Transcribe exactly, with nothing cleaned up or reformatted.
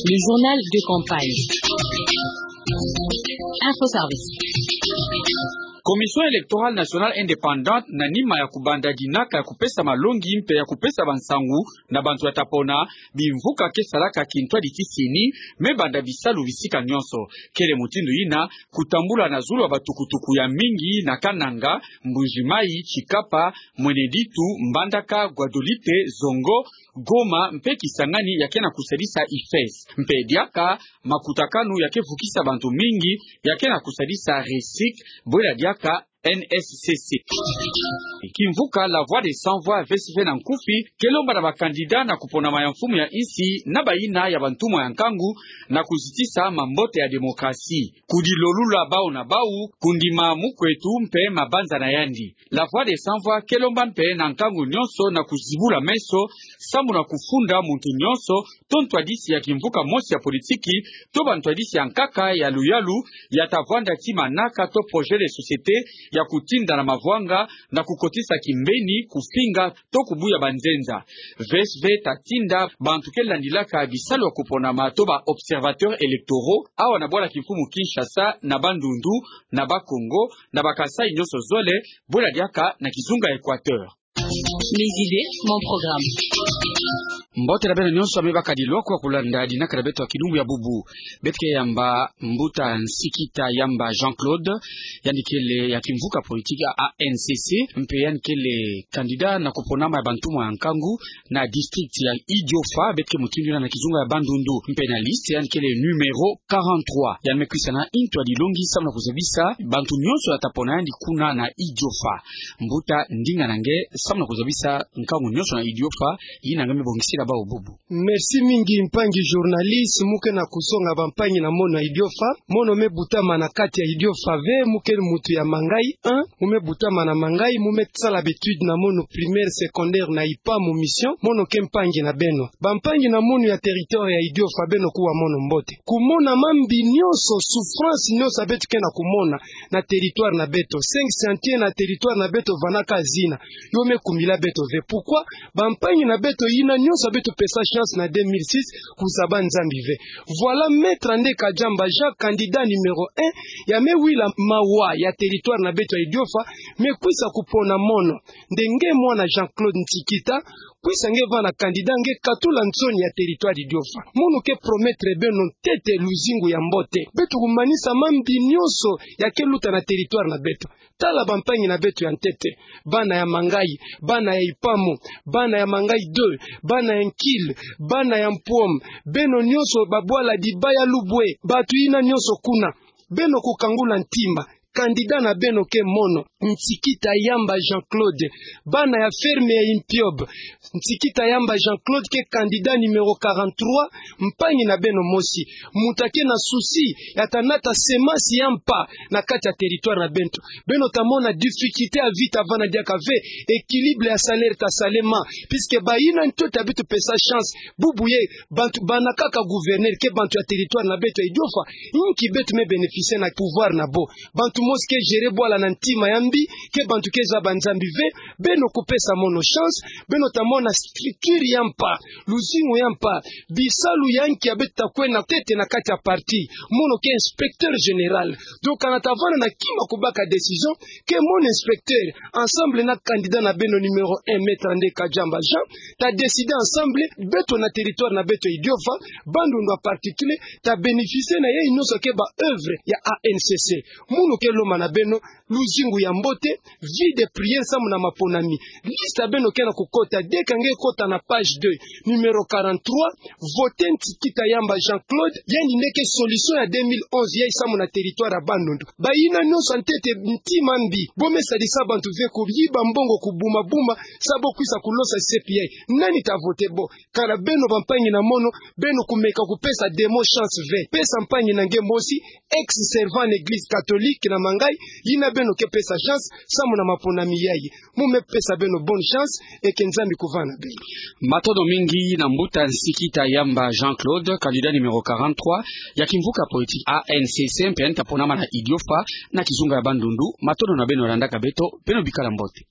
Le journal de campagne. Info Service. Commission électorale nationale indépendante, na nima ya kubanda dinaka ya kupesa malongi mpe ya kupesa bansangu na bantu ya ta pona, bimvuka ke salaka kintwadi tisini me banda bisalu bisika nyonso. Kele mutindu yina kutambula na zulu ya batukutuku ya mingi na Kananga, Mbuji-Mayi, Tshikapa, Mweneditu, Mbandaka, Guadeloupe, Zongo, Goma mpe Kisangani ya ke na kusadisa IFES. Mpe diaka makutakanu ya ke vukisa bantu mingi ya ke na kusadisa RESIC, bwela diaka N S C C. Kimvuka La Voix des Sans Voix, V S V na nkufi, ke lomba na bakandida na kuponama ya mfumu ya insi na bayina ya bantumwa ya nkangu na kuzitisa mambote ya démocratie, kudilolula bau na bau, kundima mukwetu mpe mabanza na yandi. La Voix des Sans Voix ke lomba mpe na nkangu nyonso na kuzibula meso, sambu na kufunda muntu nyonso to ntwadisi ya kimvuka mosi ya politiki, to bantwadisi ya nkaka ya luyalu, ya ta vwanda ti manaka to projet de société ya kutinda na mavwanga, na kukotisa kimbeni, kufinga, to kubuya banzenza. V S V ta tinda bantu ke landilaka bisalu ya kuponama to ba observateurs électoraux, awa na bwala kimfumu Kinshasa, na Bandundu, na Bas-Congo, na Bas-Kasaï nyonso zole, bwela diaka na kizunga Équateur. Mes idées, mon programme. Mbote na beno nyonso, me bakadi lwako ya kulanda dinaka na beto ya kilumbu ya bubu. Beto ke yamba Mbuta Nsikita Yamba Jean-Claude, yandi kele ya kimvuka politique ya A N C C, mpe yandi kele candidat na kuponama ya bantumwa ya nkangu na district ya Idiofa, beto ke mutindu yina na kizunga ya Bandundu, mpe na liste yandi kele numéro quarante-trois. Yandi me kwisa na ntwadilongi samu na kuzabisa bantu nyonso ya ta pona yandi kuna na Idiofa. Mbuta, ndinga na nge samu na kuzabisa nkangu nyonso na Idiofa, yina nge me bongisila bau bubu. Merci mingi mpangi journaliste, mu ke na kusonga bampangi na mono ya Idiofa. Mono me butama na kati ya Idiofa ve, mu ke mutu ya Mangayi un, mu me butama na Mangayi, mu me sala ba études na mono primaire, secondaire na Ipamu Mission, mono ke mpangi na beno. Bampangi na mono ya territoire ya Idiofa, beno kuwa mono mbote. Kumona mambi nyonso, souffrance nyonso ya beto ke na kumona na territoire na beto. Cinq chantiers na territoire na beto, vanda ka zina. Yo me kumila beto ve. Pourquoi? Bampangi na beto yina nyonso ya beto pesa chance na deux mille six kuzaba Nzambi ve. Voilà Maître Andeka Diamba Jean, candidat numéro un, ya me wila mawa ya territoire na beto ya Idiofa, me kwisa kupona mono. Nde nge mwana Jean-Claude Nsikita, kwisa nge vanda candidat, nge katula nsoni ya territoire Idiofa. Mono ke promettre beno ntete luzingu ya mbote. Beto kumanisa mambi nyonso ya ke luta na territoire na beto. Tala bampangi na beto ya ntete, bana ya Mangayi, bana ya Ipamu, bana ya Mangayi deux, bana ya Nkil, bana ya Mpuom, beno nyonso babwala Dibaya, Lubwe, bantu yina nyonso kuna, beno kukangula ntima. Candidat na beno ke mono, Nsikita Yamba Jean-Claude. Bana ya ferme ya Impiob, Nsikita Yamba Jean-Claude ke candidat numéro quarante-trois, mpangi na beno mosi. Mutu ya ke na souci ya ta nata semence ya mpa na kati ya territoire na beto. Beno ta mona difficulté ya vie ta vanda diaka ve, équilibre ya salaire ta salema, puisque bayina ntete ya beto pesa chance, bubu ye, bantu bana kaka gouverneur ke bantu ya territoire na beto ya Idiofa, inki beto me bénéficier na pouvoir na bo? Bantu mosi ke gérer bwala na ntima ya mbi, ke bantu ke zaba Nzambi ve. Beno kupesa mono chance, beno ta mona structure ya mpa, luzingu ya mpa, bisalu ya nki ya beto ta kwe na ntete na kati ya parti. Mono ke inspecteur général. Donc, kana ta vanda na kima kubaka décision, ke mon inspecteur, ensemble na candidat na beno numéro un, Maître Andeka Diamba Jean, ta décider ensemble, beto na territoire na beto ya Idiofa, Bandundu en particulier, ta bénéficier na yai nyonso ke ba œuvre ya A N C C. Mono ke lomba na beno luzingu ya mbote, vie de prière samu na maponami. Liste ya beno ke na kukota, dès que nge kota na page deux, numéro quarante-trois, voter Nsikita Yamba Jean-Claude, yandi nde ke solution ya deux mille onze, yai samu na territoire ya Bandundu. Bayina nyonso ya ntete ntima mbi, bo me sadisa bantu ve, kuyiba mbongo, kubuma buma, sa bo kwisa kulosa C P I. Nani ta voter bo? Kana beno bampangi na mono, beno kumeka kupesa démon chance ve. Pesa mpangi na nge mosi, ex-servant na église catholique na Mangayi, yina beno ke pesa chance samu na maponami yai. Mu me pesa beno bonne chance, et que Nzambi kuvanda na beno. Matondo mingi na Mbuta Nsikita Yamba Jean-Claude, candidat numéro quarante-trois ya kimvuka politique A N C C, mpe yandi ta ponama na Idiofa na kizunga ya Bandundu. Matondo na beno landaka beto, beno bikala mbote.